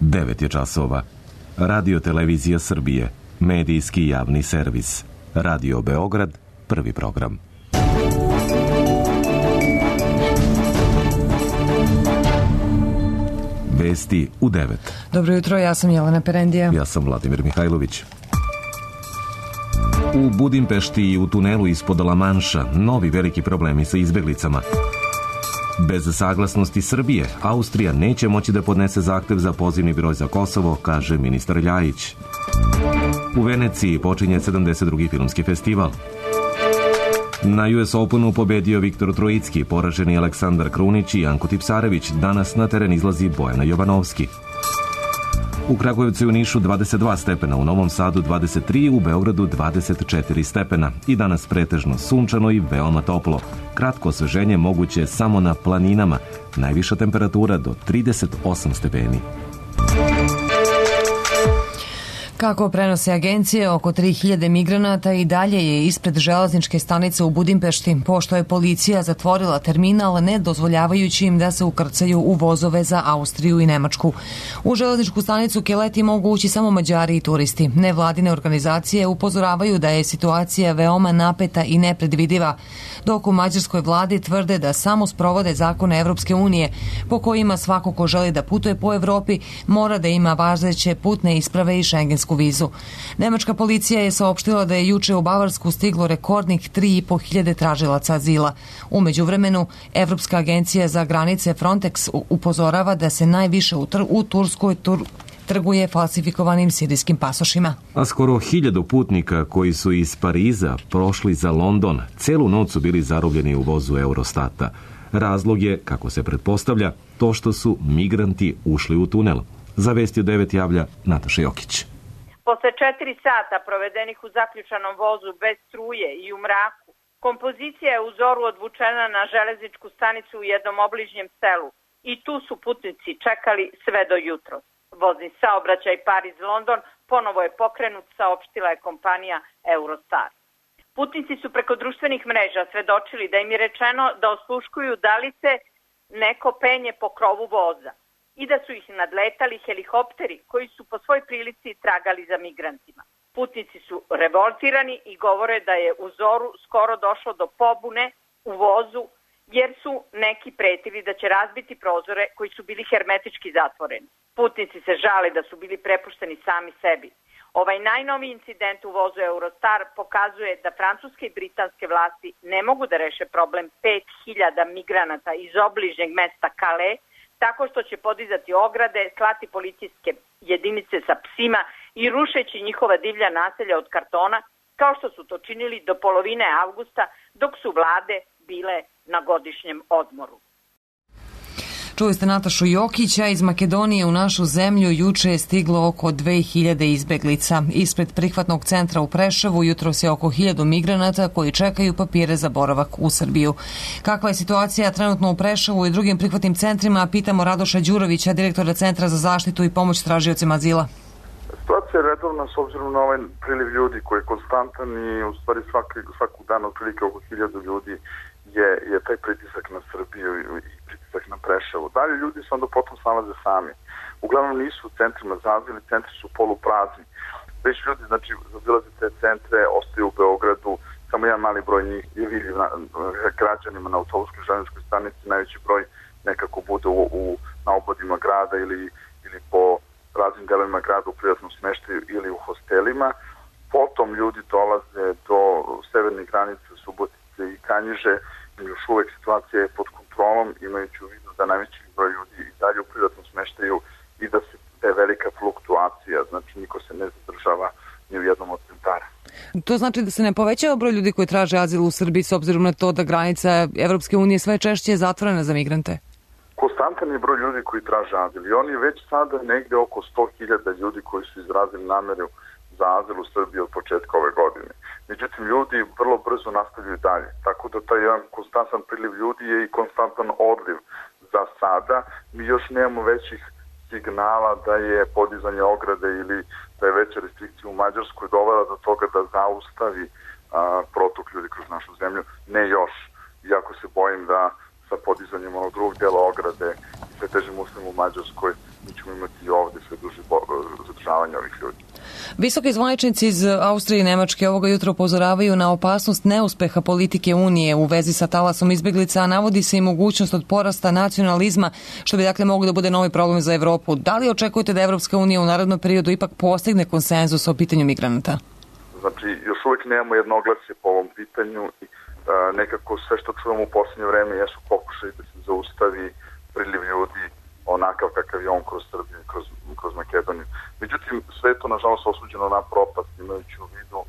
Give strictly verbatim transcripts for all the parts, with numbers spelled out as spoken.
devet je časova. Radio Televizija Srbije, medijski javni servis. Radio Beograd, prvi program. Vesti u devet. Dobro jutro, ja sam Jelena Perendija. Ja sam Vladimir Mihajlović. U Budimpešti i u tunelu ispod Lamanša novi veliki problemi sa izbeglicama. Bez saglasnosti Srbije, Austrija neće moći da podnese zahtev za pozivni broj za Kosovo, kaže ministar Ljajić. U Veneciji počinje sedamdeset drugi filmski festival. Na U S Openu pobedio Viktor Trojicki, poraženi Aleksandar Krunić i Janko Tipsarević. Danas na teren izlazi Bojana Jovanovski. U Kragujevcu i u Nišu dvadeset dva stepena, u Novom Sadu dvadeset tri, u Beogradu dvadeset četiri stepena. I danas pretežno sunčano i veoma toplo. Kratko osveženje moguće samo na planinama. Najviša temperatura do trideset osam stepeni. Kako prenose agencije, oko tri hiljade migranata i dalje je ispred železničke stanice u Budimpešti, pošto je policija zatvorila terminal, ne dozvoljavajući im da se ukrcaju u vozove za Austriju i Nemačku. U železničku stanicu Keleti mogu ući samo Mađari i turisti. Nevladine organizacije upozoravaju da je situacija veoma napeta i nepredvidiva, dok u mađarskoj vladi tvrde da samo sprovode zakone Evropske unije, po kojima svako ko želi da putuje po Evropi mora da ima važeće putne isprave i šengensku vizu. Nemačka policija je saopštila da je juče u Bavarsku stiglo rekordnih tri i po hiljade tražilaca azila. U međuvremenu, Evropska agencija za granice Frontex upozorava da se najviše u, tr u Turskoj tur trguje falsifikovanim sirijskim pasošima. A skoro hiljadu putnika koji su iz Pariza prošli za London, celu noć su bili zarobljeni u vozu Eurostata. Razlog je, kako se pretpostavlja, to što su migranti ušli u tunel. Za Vesti u devet javlja Nataša Jokić. Posle četiri sata provedenih u zaključanom vozu bez struje i u mraku, kompozicija je u zoru odvučena na železničku stanicu u jednom obližnjem selu i tu su putnici čekali sve do jutro. Vozni saobraćaj Pariz-London ponovo je pokrenut, saopštila je kompanija Eurostar. Putnici su preko društvenih mreža svedočili da im je rečeno da osluškuju da li se neko penje po krovu voza i da su ih nadletali helikopteri koji su po svoj prilici tragali za migrantima. Putnici su revoltirani i govore da je u zoru skoro došlo do pobune u vozu jer su neki pretili da će razbiti prozore koji su bili hermetički zatvoreni. Putnici se žale da su bili prepušteni sami sebi. Ovaj najnoviji incident u vozu Eurostar pokazuje da francuske i britanske vlasti ne mogu da reše problem pet hiljada migranata iz obližnjeg mesta Calais, tako što će podizati ograde, slati policijske jedinice sa psima i rušeći njihova divlja naselja od kartona, kao što su to činili do polovine avgusta, dok su vlade bile na godišnjem odmoru. Čuli ste Natašu Jokića. Iz Makedonije u našu zemlju juče je stiglo oko dve hiljade izbeglica. Ispred prihvatnog centra u Preševu jutros je oko hiljadu migranata koji čekaju papire za boravak u Srbiju. Kakva je situacija trenutno u Preševu i drugim prihvatnim centrima, pitamo Radoša Đurovića, direktora Centra za zaštitu i pomoć tražiocima azila. Situacija je redovna s obzirom na ovaj priliv ljudi koji je konstantan i u stvari svaki, svaku dan otprilike oko hiljadu ljudi je, je taj pritisak na Srbiju i pritisak na Preševo. Dalje ljudi se onda potom snalaze sami. Uglavnom nisu u centrima za azil, centri su poluprazni. Već ljudi, znači, zabilaze te centre, ostaju u Beogradu, samo jedan mali broj njih je vidljiv na, građanima na autobuskoj železničkoj stanici, najveći broj nekako bude u, u, na obodima grada ili, ili po raznim delovima grada u privatnom smeštaju ili u hostelima. Potom ljudi dolaze do severne granice Subotice i Kanjiže. Još uvek situacija je pod kontrolom, imajući u vidu da najveći broj ljudi i dalje u privatnom smeštaju i da, se, da je velika fluktuacija, znači niko se ne zadržava ni u jednom od centara. To znači da se ne povećava broj ljudi koji traže azil u Srbiji s obzirom na to da granica Evropske unije sve češće je zatvorena za migrante? Konstantan je broj ljudi koji traže azil i on je već sada negde oko sto hiljada ljudi koji su izrazili nameru za azil u Srbiji od početka ove godine. Međutim, ljudi vrlo brzo nastavljaju dalje, tako da taj jedan konstantan priliv ljudi je i konstantan odliv za sada. Mi još nemamo većih signala da je podizanje ograde ili da je veća restrikcija u Mađarskoj dovela do toga da zaustavi a, protok ljudi kroz našu zemlju. Ne još, iako se bojim da sa podizanjem onog drugog dela ograde i sve težim uslovima u Mađarskoj mi ćemo imati i ovde sve ljudi. Visoki zvaničnici iz Austrije i Nemačke ovoga jutra upozoravaju na opasnost neuspeha politike Unije u vezi sa talasom izbeglica, a navodi se i mogućnost od porasta nacionalizma, što bi dakle moglo da bude novi problem za Evropu. Da li očekujete da Evropska unija u narednom periodu ipak postigne konsenzus o pitanju migranata? Znači, još uvijek nemamo jednoglasje po ovom pitanju i a, nekako sve što čujemo u posljednje vreme jesu pokušaj da se zaustavi priliv ljudi onakav kakav je on kroz Srbiju i kroz, kroz Makedoniju. Međutim, sve je to nažalost osuđeno na propast, imajući u vidu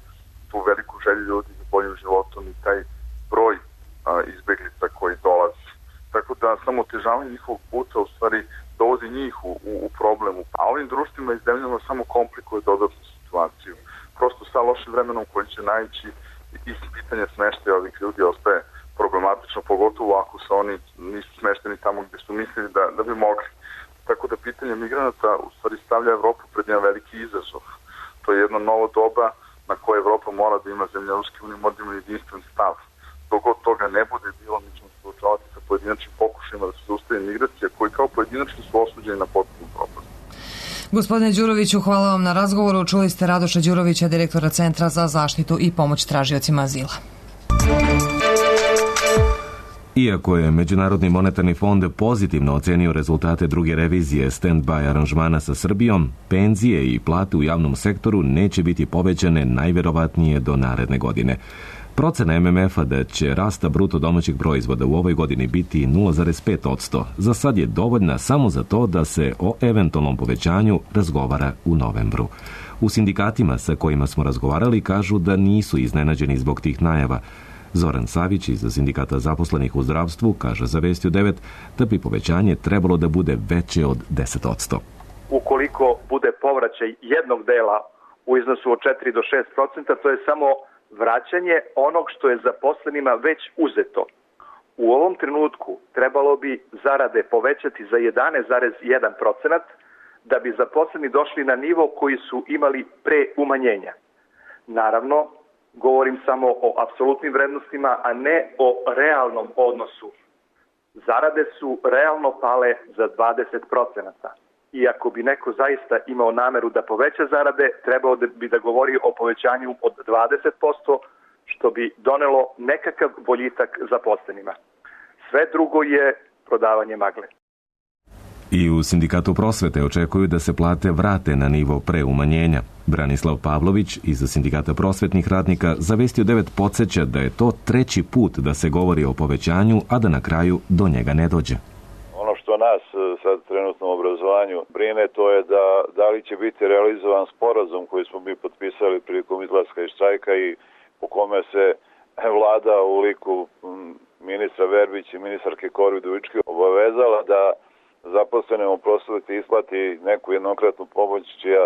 tu veliku želju ljudi za boljim životom i taj broj a, izbeglica koji dolazi. Tako da samo otežavanje njihovog puta u stvari dovodi njih u, u, u problemu. A ovim društvima i zemljama samo komplikuje dodatnu situaciju. Prosto sa lošim vremenom koji će naići i pitanje smeštaja ovih ljudi ostaje problematično, pogotovo ako se oni nisu smešteni tamo gdje su mislili da, da bi mogli. Tako da pitanje migranata u stvari stavlja Evropu pred jedan veliki izazov. To je jedno novo doba na koje Evropa mora da ima, zemlja Ruske unije mora da ima jedinstven stav. Dok od toga ne bude bilo, mi ćemo se suočavati sa pojedinačnim pokušajima da se zaustavi migracija koji kao pojedinačni su osuđeni na potpunu propast. Gospodine Đuroviću, hvala vam na razgovoru. Čuli ste Radoša Đurovića, direktora Centra za zaštitu i pomoć tražiocima azila. Iako je Međunarodni monetarni fond pozitivno ocenio rezultate druge revizije stand-by aranžmana sa Srbijom, penzije i plate u javnom sektoru neće biti povećane najverovatnije do naredne godine. Procena em em efa da će rasta bruto domaćeg proizvoda u ovoj godini biti nula zarez pet posto za sad je dovoljna samo za to da se o eventualnom povećanju razgovara u novembru. U sindikatima sa kojima smo razgovarali kažu da nisu iznenađeni zbog tih najava. Zoran Savić iz Sindikata zaposlenih u zdravstvu kaže za Vesti u devet da bi povećanje trebalo da bude veće od deset posto. Ukoliko bude povraćaj jednog dela u iznosu od četiri do šest procenta, to je samo vraćanje onog što je zaposlenima već uzeto. U ovom trenutku trebalo bi zarade povećati za jedanaest zarez jedan procenat da bi zaposleni došli na nivo koji su imali pre umanjenja. Naravno, govorim samo o apsolutnim vrednostima, a ne o realnom odnosu. Zarade su realno pale za dvadeset procenata. I ako bi neko zaista imao nameru da poveća zarade, trebao bi da govori o povećanju od dvadeset posto, što bi donelo nekakav boljitak zaposlenima. Sve drugo je prodavanje magle. I u Sindikatu prosvete očekuju da se plate vrate na nivo pre umanjenja. Branislav Pavlović iz Sindikata prosvetnih radnika za Vesti u devet podsjeća da je to treći put da se govori o povećanju, a da na kraju do njega ne dođe. Ono što nas sad trenutno u obrazovanju brine, to je da, da li će biti realizovan sporazum koji smo mi potpisali prilikom izlaska iz štrajka i po kome se vlada u liku ministra Verbića i ministarke Kori Udovički obavezala da zaposlenim u prosveti isplati neku jednokratnu pomoć čija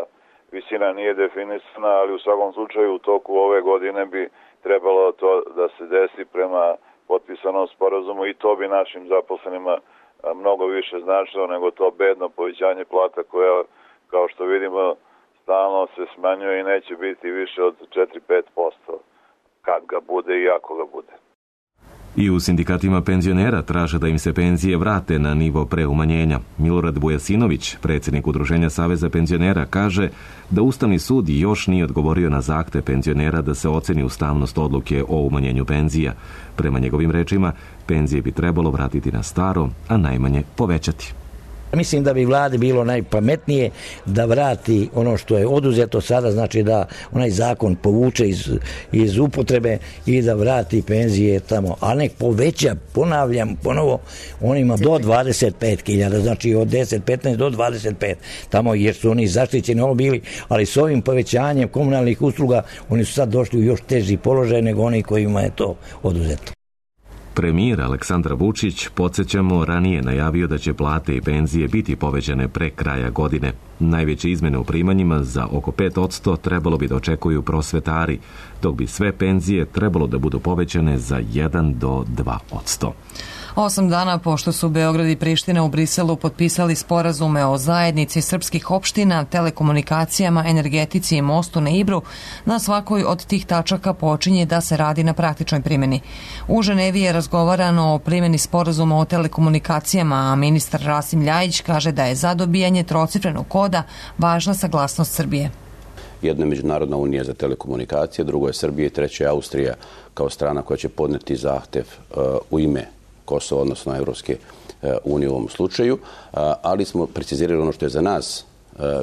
visina nije definisana, ali u svakom slučaju u toku ove godine bi trebalo to da se desi prema potpisanom sporazumu i to bi našim zaposlenima mnogo više značilo nego to bedno povećanje plata koja, kao što vidimo, stalno se smanjuje i neće biti više od četiri do pet posto kad ga bude i ako ga bude. I u sindikatima penzionera traže da im se penzije vrate na nivo pre umanjenja. Milorad Vujasinović, predsjednik Udruženja Saveza penzionera, kaže da Ustavni sud još nije odgovorio na zahtev penzionera da se oceni ustavnost odluke o umanjenju penzija. Prema njegovim rečima, penzije bi trebalo vratiti na staro, a najmanje povećati. Mislim da bi vladi bilo najpametnije da vrati ono što je oduzeto sada, znači da onaj zakon povuče iz, iz upotrebe i da vrati penzije tamo, a nek poveća, ponavljam ponovo, onima do dvadeset pet hiljada, znači od deset petnaest do dvadeset pet, tamo jer su oni zaštićeni ovo bili, ali s ovim povećanjem komunalnih usluga oni su sad došli u još teži položaj nego oni kojima je to oduzeto. Premijer Aleksandar Vučić, podsjećamo, ranije najavio da će plate i penzije biti povećane pre kraja godine. Najveće izmene u primanjima za oko pet posto trebalo bi da očekuju prosvetari, dok bi sve penzije trebalo da budu povećane za jedan do dva posto. Osam dana pošto su Beograd i Priština u Briselu potpisali sporazume o zajednici srpskih opština, telekomunikacijama, energetici i mostu na Ibru, na svakoj od tih tačaka počinje da se radi na praktičnoj primjeni. U Ženevi je razgovarano o primjeni sporazuma o telekomunikacijama, a ministar Rasim Ljajić kaže da je za dobijanje trocifrenog koda važna saglasnost Srbije. Jedno je Međunarodna unija za telekomunikacije, drugo je Srbija i treće je Austrija kao strana koja će podneti zahtev u ime Kosova, odnosno Evropske unije u ovom slučaju, ali smo precizirali ono što je za nas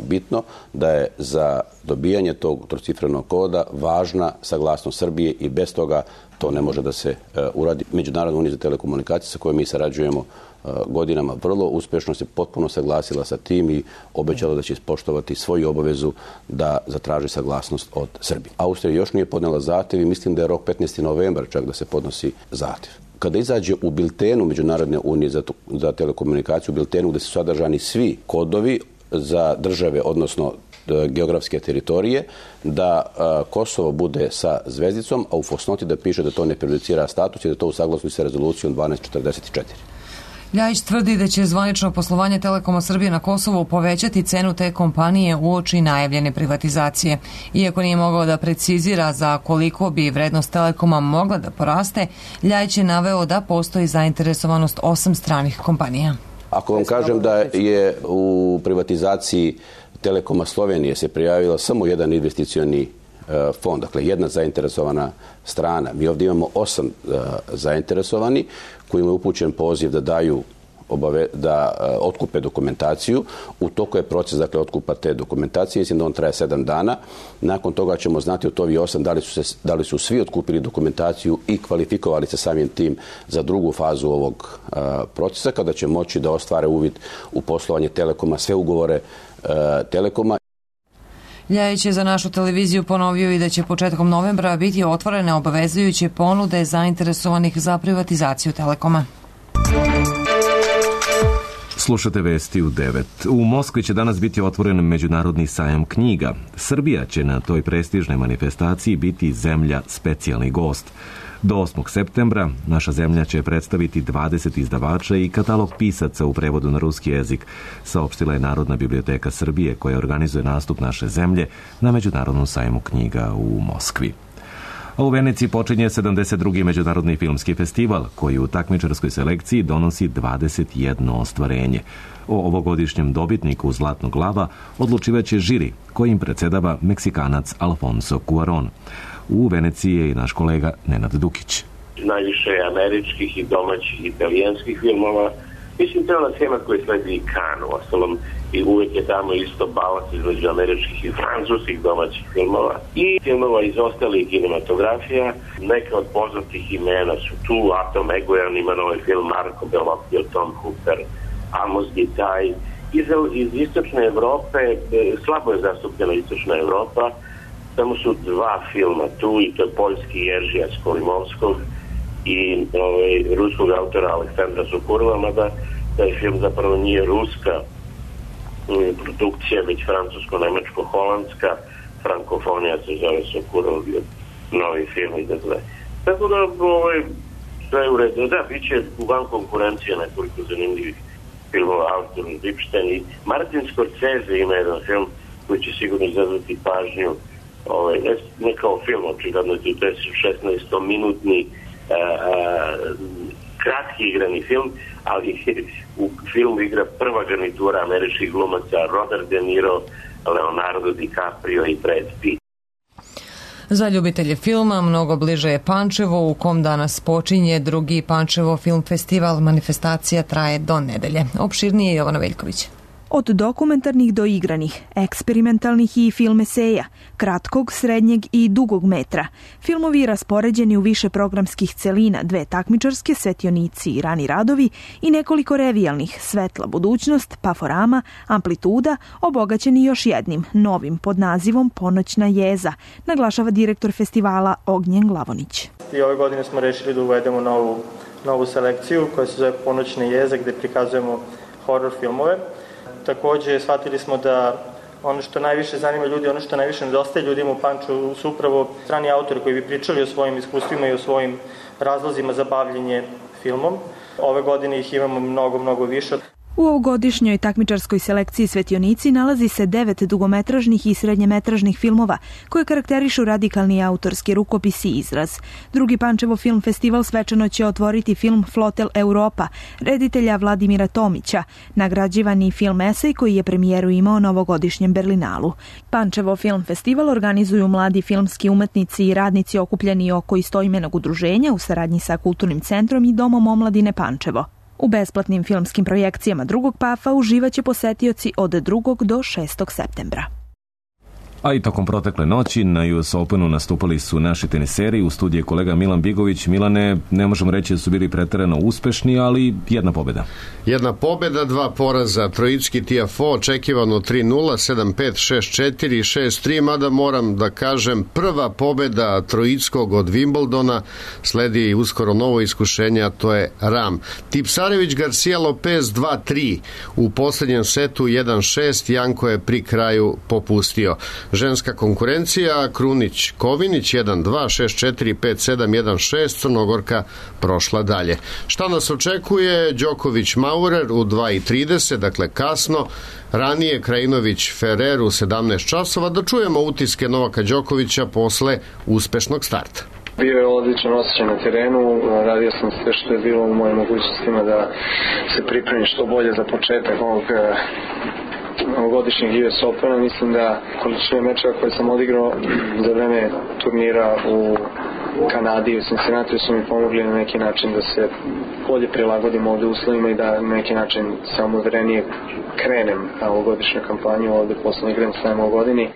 bitno, da je za dobijanje tog trocifrenog koda važna saglasnost Srbije i bez toga to ne može da se uradi. Međunarodna unija za telekomunikacije sa kojom mi sarađujemo godinama vrlo uspješno se potpuno saglasila sa tim i obećala da će ispoštovati svoju obavezu da zatraži saglasnost od Srbije. Austrija još nije podnela zahtev i mislim da je rok petnaesti novembar čak da se podnosi zahtev. Kada izađe u biltenu Međunarodne unije za, za telekomunikaciju, u biltenu gde su sadržani svi kodovi za države, odnosno geografske teritorije, da a, Kosovo bude sa zvezdicom, a u fosnoti da piše da to ne prejudicira status i da to u saglasnosti sa rezolucijom dvanaest četrdeset četiri. Ljajić tvrdi da će zvanično poslovanje Telekoma Srbije na Kosovu povećati cenu te kompanije uoči najavljene privatizacije. Iako nije mogao da precizira za koliko bi vrednost Telekoma mogla da poraste, Ljajić je naveo da postoji zainteresovanost osam stranih kompanija. Ako vam kažem da je u privatizaciji Telekoma Slovenije se prijavila samo jedan investicioni fond, dakle jedna zainteresovana strana. Mi ovdje imamo osam uh, zainteresovani kojima je upućen poziv da daju obave, da uh, otkupe dokumentaciju. U toku je proces dakle otkupa te dokumentacije, mislim da on traje sedam dana. Nakon toga ćemo znati od ovih osam da li su se, da li su svi otkupili dokumentaciju i kvalifikovali se samim tim za drugu fazu ovog uh, procesa, kada će moći da ostvare uvid u poslovanje Telekoma, sve ugovore uh, Telekoma. Ljajić je za našu televiziju ponovio i da će početkom novembra biti otvorene obavezujuće ponude zainteresovanih za privatizaciju Telekoma. Slušate vesti u devet. U Moskvi će danas biti otvoren Međunarodni sajam knjiga. Srbija će na toj prestižnoj manifestaciji biti zemlja specijalni gost. Do osmog septembra naša zemlja će predstaviti dvadeset izdavača i katalog pisaca u prevodu na ruski jezik, saopštila je Narodna biblioteka Srbije koja organizuje nastup naše zemlje na Međunarodnom sajmu knjiga u Moskvi. A u Veneciji počinje sedamdeset drugi Međunarodni filmski festival koji u takmičarskoj selekciji donosi dvadeset jedno ostvarenje. O ovogodišnjem dobitniku Zlatnog lava odlučivaće žiri kojim predsjedava Meksikanac Alfonso Cuarón. U Veneciji je i naš kolega Nenad Dukić. Najviše američkih i domaćih italijanskih filmova. Mislim, to je ona schema koja sledi i Cannes, u ostalom, i uvijek je tamo isto balans između američkih i francuskih domaćih filmova i filmova iz ostalih kinematografija. Neke od poznatih imena su tu, Atom Egoyan ima novi film, Marco Bellocchio, Tom Hooper, Amos Gitaj. Iz, iz istočne Evrope, slabo je zastupljena istočna Evropa, samo su dva filma tu i to je poljski Jeržija Skolimovskog i ovaj, ruskog autora Aleksandra Sokurova, mada taj film zapravo nije ruska um, produkcija, već francusko-nemačko-holandska, frankofonija se zove Sokurov, novi film i dakle. Tako da ovaj, sve je u redu. Da, bit će u van konkurencije nekoliko zanimljivih filmova, Arthur Ripstein i Martin Scorsese ima jedan film koji će sigurno izazvati pažnju. Ovaj, ne, ne kao film, očigledno to je šesnaestominutni a, a, kratki igrani film, ali u filmu igra prva garnitura američkih glumaca Robert De Niro, Leonardo DiCaprio i Brad Pitt. Za ljubitelje filma mnogo bliže je Pančevo u kom danas počinje drugi Pančevo film festival. Manifestacija traje do nedelje. Opširnije je Jovana Veljković. Od dokumentarnih do igranih, eksperimentalnih i film eseja, kratkog, srednjeg i dugog metra. Filmovi raspoređeni u više programskih celina, dve takmičarske, Svetionici i Rani radovi i nekoliko revijalnih, Svetla budućnost, Paforama, Amplituda, obogaćeni još jednim, novim pod nazivom Ponoćna jeza, naglašava direktor festivala Ognjen Glavonić. I ove godine smo rešili da uvedemo novu, novu selekciju koja se zove Ponoćna jeza gde prikazujemo horor filmove. Takođe, shvatili smo da ono što najviše zanima ljudi, ono što najviše nedostaje ljudima u Pančevu su upravo strani autori koji bi pričali o svojim iskustvima i o svojim razlozima za bavljenje filmom. Ove godine ih imamo mnogo, mnogo više. U ovogodišnjoj takmičarskoj selekciji Svetionici nalazi se devet dugometražnih i srednjemetražnih filmova koje karakterišu radikalni autorski rukopis i izraz. Drugi Pančevo film festival svečano će otvoriti film Flotel Europa, reditelja Vladimira Tomića, nagrađivani film esej koji je premijeru imao na ovogodišnjem Berlinalu. Pančevo film festival organizuju mladi filmski umetnici i radnici okupljeni oko istoimenog udruženja u saradnji sa Kulturnim centrom i Domom omladine Pančevo. U besplatnim filmskim projekcijama drugog pafa uživaće posetioci od drugog do šestog septembra. A i tokom protekle noći na U S Openu nastupali su naši teniseri. U studiju je kolega Milan Bigović. Milane, ne možemo reći da su bili preterano uspešni, ali jedna pobjeda. Jedna pobjeda, dva poraza. Trojicki Tiafoe očekivano tri nula, sedam pet, šest četiri, šest tri, mada moram da kažem prva pobjeda Trojickog od Wimbledona. Sledi uskoro novo iskušenje, a to je Ram. Tipsarević Garcia Lopez dva tri. U posljednjem setu jedan šest, Janko je pri kraju popustio. Ženska konkurencija, Krunić Kovinić jedan dva, šest četiri, pet sedam, jedan šest, Crnogorka prošla dalje. Šta nas očekuje? Đoković Maurer u dva i trideset, dakle kasno, ranije Krajinović Ferrer u sedamnaest časova. Da čujemo utiske Novaka Đokovića posle uspešnog starta. Bio je odličan osjećaj na terenu, radio sam sve što je bilo u mojim mogućnostima da se pripremim što bolje za početak ovog ovogodišnjeg U S Opena. Mislim da količine mečeva koje sam odigrao za vreme turnira u Kanadi i u Cincinnati su mi pomogli na neki način da se bolje prilagodim ovdje uslovima i da na neki način samouvjerenije krenem na ovogodišnju kampanju ovdje poslednji Grand Slam u godini.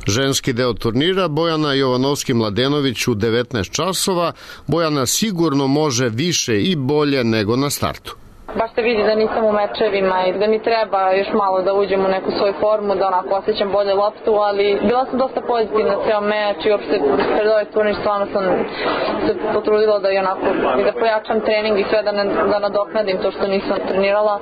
Ženski deo turnira, Bojana Jovanovski-Mladenović u devetnaest časova. Bojana sigurno može više i bolje nego na startu. Baš se vidi da nisam u mečevima i da mi treba još malo da uđem u neku svoju formu, da onako osjećam bolje loptu, ali bila sam dosta pozitivna ceo meč i uopšte pred ovaj turnir stvarno sam se potrudila da i onako i da pojačam trening i sve da, ne, da nadoknadim to što nisam trenirala.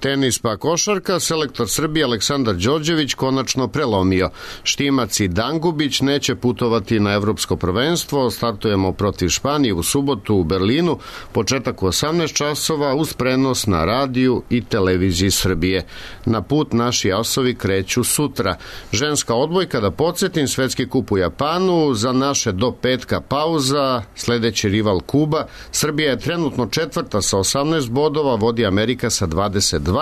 Tenis pa košarka, selektor Srbije Aleksandar Đorđević konačno prelomio. Štimac i Dangubić neće putovati na evropsko prvenstvo. Startujemo protiv Španije u subotu u Berlinu, početak u osamnaest časova uz prenos na radiju i televiziji Srbije. Na put naši asovi kreću sutra. Ženska odbojka, da podsjetim, svetski kup u Japanu, za naše do petka pauza, sledeći rival Kuba. Srbija je trenutno četvrta sa osamnaest bodova, vodi Amerika sa dvadeset dva.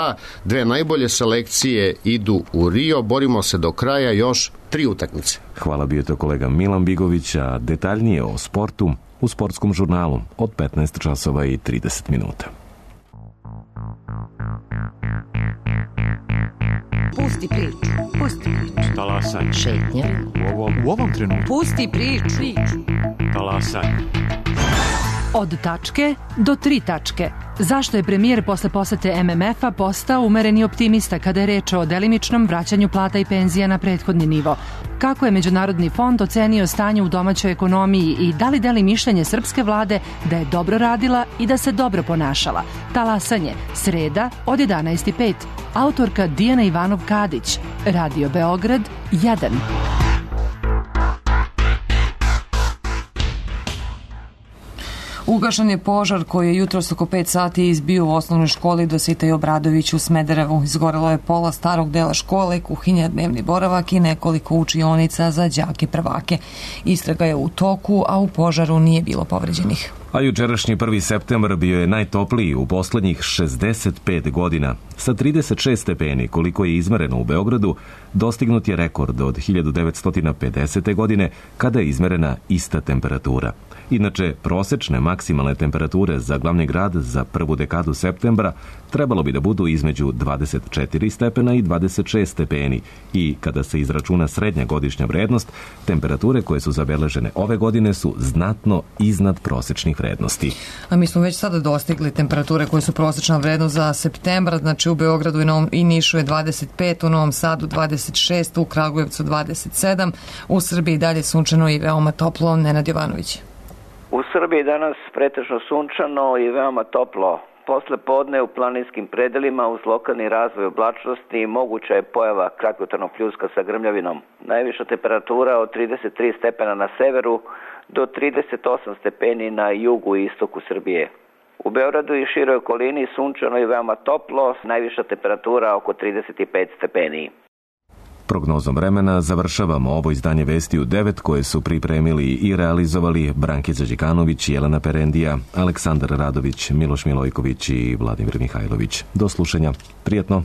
Dve najbolje selekcije idu u Rio, borimo se do kraja još tri utakmice. Hvala, bio to kolega Milan Bigović, a detaljnije o sportu u sportskom žurnalu od petnaest časova i trideset minuta. Pusti priču, pusti priču. Talasaj. Šetnja. U ovom, u ovom trenutku. Pusti priču. Talasaj. Od tačke do tri tačke. Zašto je premijer posle posete M M F-a postao umereni optimista kada je reč o delimičnom vraćanju plata i penzija na prethodni nivo? Kako je Međunarodni fond ocenio stanje u domaćoj ekonomiji i da li deli mišljenje srpske vlade da je dobro radila i da se dobro ponašala? Talasanje, sreda od jedanaest i pet. Autorka Dijana Ivanov-Kadić. Radio Beograd jedan. Ugašen je požar koji je jutros oko pet sati izbio u osnovnoj školi Dositej Obradović u Smederevu. Izgorelo je pola starog dela škole, kuhinja, dnevni boravak i nekoliko učionica za đake prvake. Istraga je u toku, a u požaru nije bilo povređenih. A jučerašnji prvi septembar bio je najtopliji u poslednjih šezdeset pet godina. Sa trideset šest stepeni, koliko je izmereno u Beogradu, dostignut je rekord od hiljadu devetsto pedesete. godine, kada je izmerena ista temperatura. Inače, prosečne maksimalne temperature za glavni grad za prvu dekadu septembra trebalo bi da budu između dvadeset četiri stepena i dvadeset šest stepeni i kada se izračuna srednja godišnja vrednost, temperature koje su zabeležene ove godine su znatno iznad prosečnih vrednosti. A mi smo već sada dostigli temperature koje su prosečna vrednost za septembar, znači u Beogradu i, Novom, i Nišu je dvadeset pet, u Novom Sadu dvadeset šest, u Kragujevcu dvadeset sedam, u Srbiji dalje sunčano i veoma toplo. Nenad Jovanović. U Srbiji danas pretežno sunčano i veoma toplo. Posle podne u planinskim predelima uz lokalni razvoj oblačnosti moguća je pojava kratkotrajnog pljuska sa grmljavinom. Najviša temperatura od trideset tri stepena na severu do trideset osam stepeni na jugu i istoku Srbije. U Beogradu i široj okolini sunčano i veoma toplo, najviša temperatura oko trideset pet stepeni. Prognozom vremena završavamo ovo izdanje Vesti u devet koje su pripremili i realizovali Brankica Đikanović, Jelena Perendija, Aleksandar Radović, Miloš Milojković i Vladimir Mihajlović. Do slušanja. Prijetno.